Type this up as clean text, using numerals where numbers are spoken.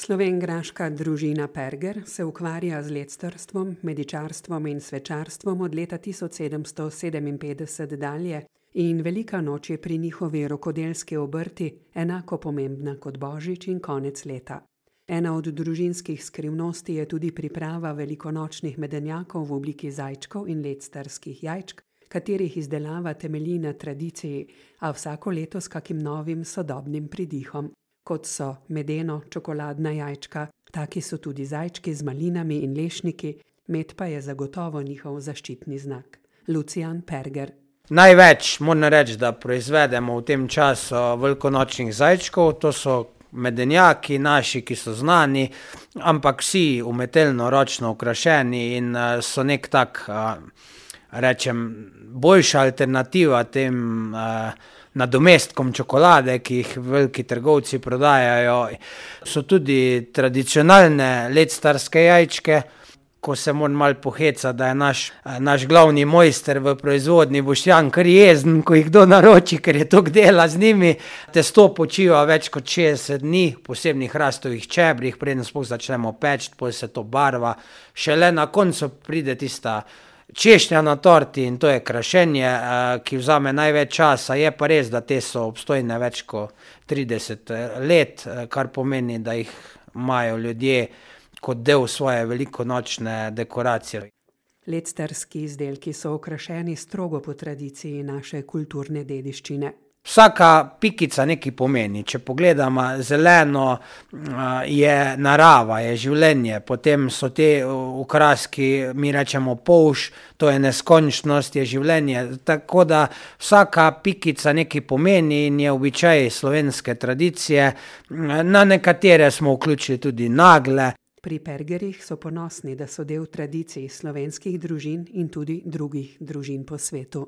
Slovenjgraška družina Perger se ukvarja z lectarstvom, medičarstvom in svečarstvom od leta 1757 dalje in velika noč je pri njihovi rokodelski obrti enako pomembna kot božič in konec leta. Ena od družinskih skrivnosti je tudi priprava velikonočnih medenjakov v obliki zajčkov in lectarskih jajčk, katerih izdelava temelji na tradiciji, a vsako leto s kakim novim sodobnim pridihom. Kot so medeno, čokoladna jajčka, taki so tudi zajčki z malinami in lešniki, med pa je zagotovo njihov zaščitni znak. Lucijan Perger. Največ moram reči, da proizvedemo v tem času velikonočnih zajčkov, to so medenjaki naši, ki so znani, ampak vsi umetelno ročno okrašeni in so nek tak, boljša alternativa tem nadomestkom čokolade, ki jih veliki trgovci prodajajo. So tudi tradicionalne lectarske jajčke, ko se moram malo pohecati, da je naš glavni mojster v proizvodnji Boštjan kar jezen, ko jih kdo naroči, ker je toliko dela z njimi. Testo počiva več kot 60 dni, v posebnih hrastovih čebrih, preden sploh začnemo peči, potem se to barva. Šele na koncu pride tista češnja na torti in to je krašenje, ki vzame največ časa. Je pa res, da te so obstojne več kot 30 let, kar pomeni, da jih imajo ljudje kot del svoje velikonočne dekoracije. Lectarski izdelki so okrašeni strogo po tradiciji naše kulturne dediščine. Vsaka pikica nekaj pomeni. Če pogledamo zeleno, je narava, je življenje, potem so te okraski, mi rečemo polž, to je neskončnost, je življenje. Tako da vsaka pikica nekaj pomeni in je običaj slovenske tradicije. Na nekatere smo vključili tudi nagle. Pri Pergerjih so ponosni, da so del tradicij slovenskih družin in tudi drugih družin po svetu.